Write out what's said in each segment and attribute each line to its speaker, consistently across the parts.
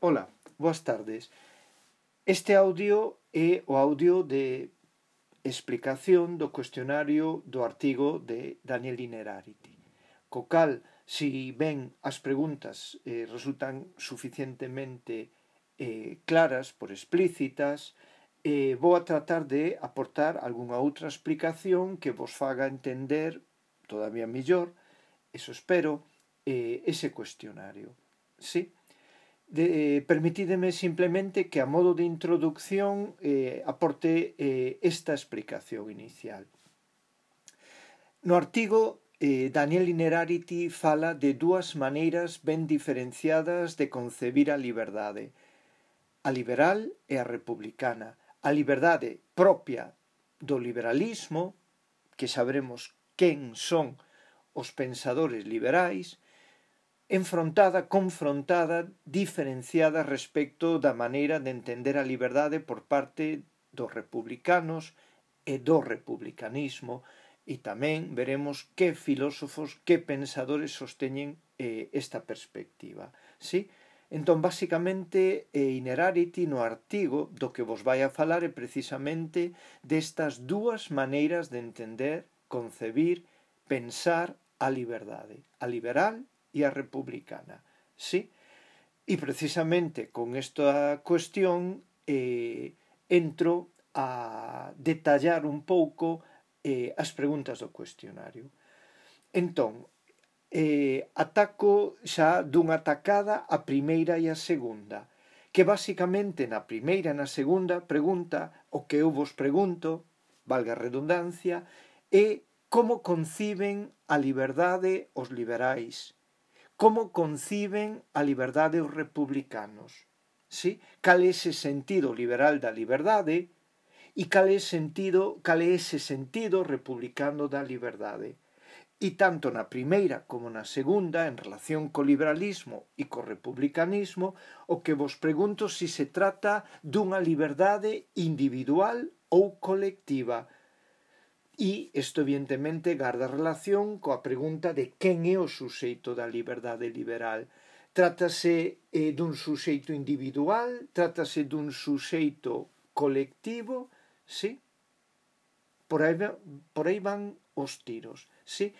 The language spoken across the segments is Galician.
Speaker 1: Ola, boas tardes. Este audio é o audio de explicación do cuestionario do artigo de Daniel Innerarity, co cal, si ben as preguntas resultan suficientemente claras por explícitas, vou a tratar de aportar algunha outra explicación que vos faga entender todavía mellor, eso espero, ese cuestionario. Sí? Permitídeme simplemente que a modo de introducción aporte esta explicación inicial. No artigo, Daniel Innerarity fala de dúas maneiras ben diferenciadas de concebir a liberdade, a liberal e a republicana. A liberdade propia do liberalismo, que sabremos quen son os pensadores liberais, confrontada, diferenciada respecto da maneira de entender a liberdade por parte dos republicanos e do republicanismo, e tamén veremos que filósofos, que pensadores sosteñen esta perspectiva. Sí? Entón, basicamente, Innerarity no artigo do que vos vai a falar é precisamente destas dúas maneiras de entender, concebir, pensar a liberdade, a liberal e a republicana, sí? E precisamente con esta cuestión entro a detallar un pouco as preguntas do cuestionario. Entón, ataco xa dunha tacada a primeira e a segunda, que basicamente na primeira e na segunda pregunta o que eu vos pregunto, valga a redundancia, é como conciben a liberdade os liberais, como conciben a liberdade os republicanos, sí? Cal é ese sentido liberal da liberdade e cal é ese sentido republicano da liberdade. E tanto na primeira como na segunda, en relación co liberalismo e co republicanismo, o que vos pregunto si se trata dunha liberdade individual ou colectiva. E isto evidentemente garda relación coa pregunta de quen é o suxeito da liberdade liberal. Trátase dun suxeito individual, trátase dun suxeito colectivo, sí? Por aí van os tiros, sí?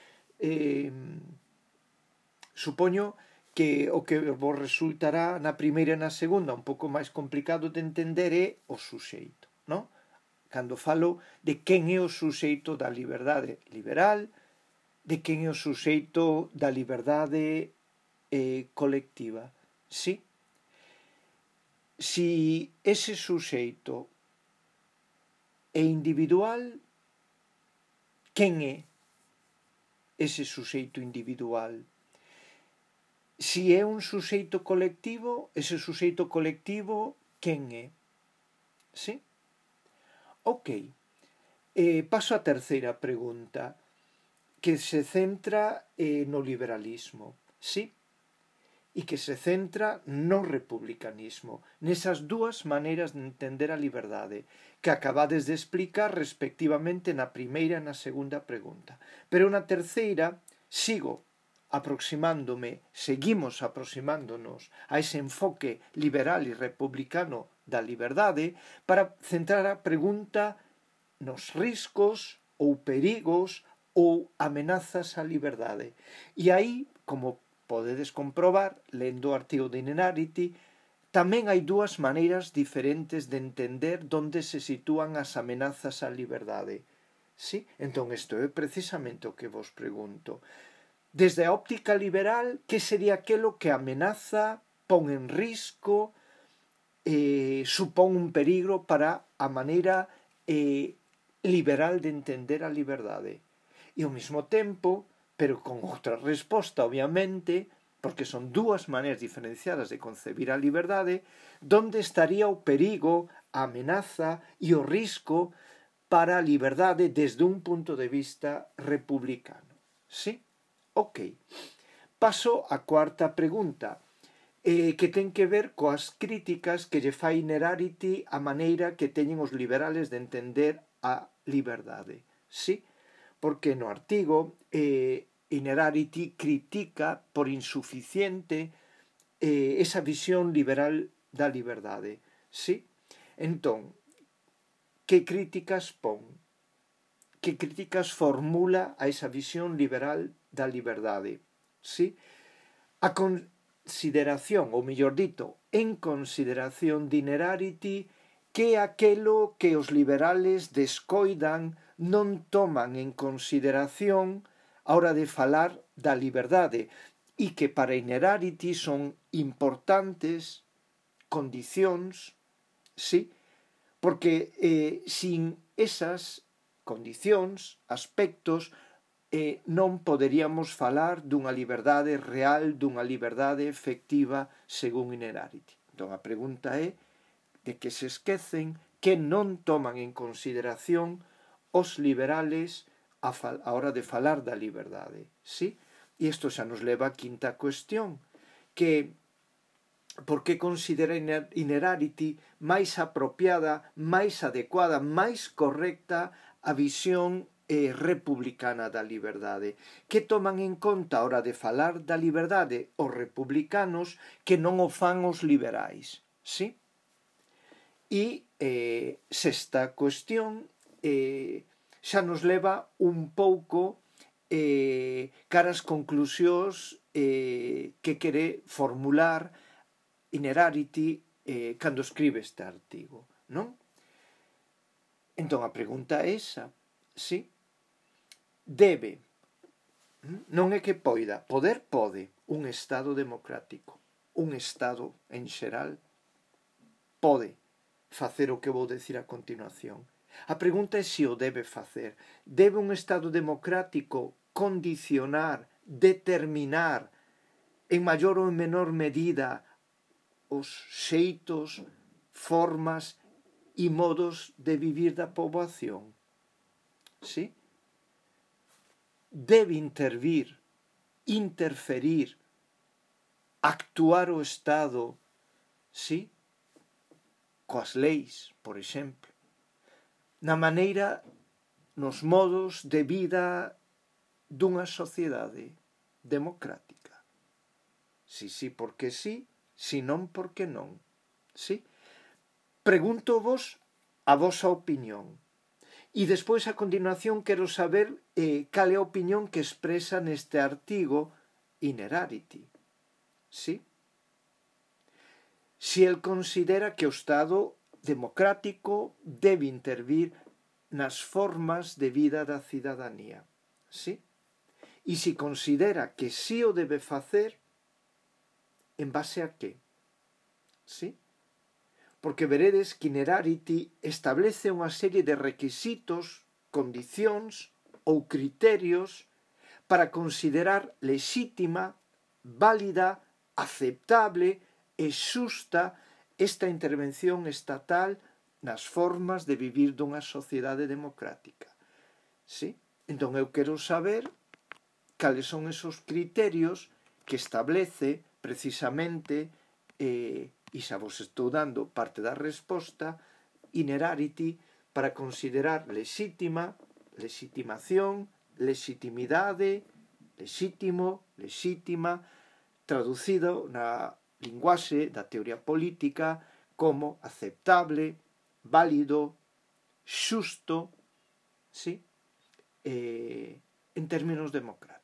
Speaker 1: Supoño que o que vos resultará na primeira e na segunda un pouco máis complicado de entender é o suxeito, non? Cando falo de quen é o suxeito da liberdade liberal, de quen é o suxeito da liberdade colectiva. Sí? Si ese suxeito é individual, quen é ese suxeito individual? Si é un suxeito colectivo, ese suxeito colectivo, quen é? Sí? Ok, paso á terceira pregunta, que se centra no liberalismo, sí? E que se centra no republicanismo, nesas dúas maneiras de entender a liberdade, que acabades de explicar respectivamente na primeira e na segunda pregunta. Pero na terceira seguimos aproximándonos a ese enfoque liberal e republicano da liberdade para centrar a pregunta nos riscos ou perigos ou amenazas á liberdade. E aí, como podedes comprobar, lendo o artigo de Innerarity, tamén hai dúas maneiras diferentes de entender onde se sitúan as amenazas á liberdade. Sí? Entón, isto é precisamente o que vos pregunto. Desde a óptica liberal, que sería aquilo que amenaza, pon en risco, supón un peligro para a maneira liberal de entender a liberdade. E ao mesmo tempo, pero con outra resposta, obviamente, porque son dúas maneiras diferenciadas de concebir a liberdade, onde estaría o perigo, a amenaza e o risco para a liberdade desde un punto de vista republicano. Sí? Ok. Paso á cuarta pregunta, que ten que ver coas críticas que lle fai Innerarity a maneira que teñen os liberales de entender a liberdade. Sí? Porque no artigo Innerarity critica por insuficiente esa visión liberal da liberdade. Sí? Entón, que críticas pon? Que críticas formula a esa visión liberal da liberdade? Sí? A consideración, ou mellor dito, en consideración de Inerarity, que aquelo que os liberales descoidan non toman en consideración a hora de falar da liberdade e que para Inerarity son importantes condicións, sí, porque sin esas condicións, aspectos, non poderíamos falar dunha liberdade real, dunha liberdade efectiva según Inerarity. Entón a pregunta é de que se esquecen, que non toman en consideración os liberales a hora de falar da liberdade. Sí? E isto xa nos leva á quinta cuestión, que por que considera Inerarity máis apropiada, máis adecuada, máis correcta a visión republicana da liberdade, que toman en conta a hora de falar da liberdade os republicanos que non o fan os liberais. Sí? E sexta cuestión, xa nos leva un pouco caras conclusións que quere formular Inerarity cando escribe este artigo, non? Entón a pregunta é esa, sí? Debe, non é que poida, poder pode un Estado democrático, un Estado en xeral, pode facer o que vou decir a continuación. A pregunta é se o debe facer. Debe un Estado democrático condicionar, determinar, en maior ou en menor medida, os xeitos, formas e modos de vivir da poboación? Sí? Debe interferir, actuar o Estado, sí? Coas leis, por exemplo, na maneira, nos modos de vida dunha sociedade democrática. Si, porque sí, si non, porque non. Sí? Pregunto-vos a vosa opinión. E despois, a continuación, quero saber cal é a opinión que expresa neste artigo Inerarity. Sí? Si el considera que o Estado democrático debe intervir nas formas de vida da cidadanía. Sí? E si considera que sí o debe facer, en base a que? Sí? Porque veredes que Inerarity establece unha serie de requisitos, condicións ou criterios para considerar lexítima, válida, aceptable e xusta esta intervención estatal nas formas de vivir dunha sociedade democrática. Sí? Entón eu quero saber cales son esos criterios que establece precisamente e xa vos estou dando parte da resposta, Inerarity, para considerar lexítima, lexitimación, lexitimidade, lexítimo, lexítima, traducido na linguaxe da teoría política como aceptable, válido, xusto, sí? En términos democráticos.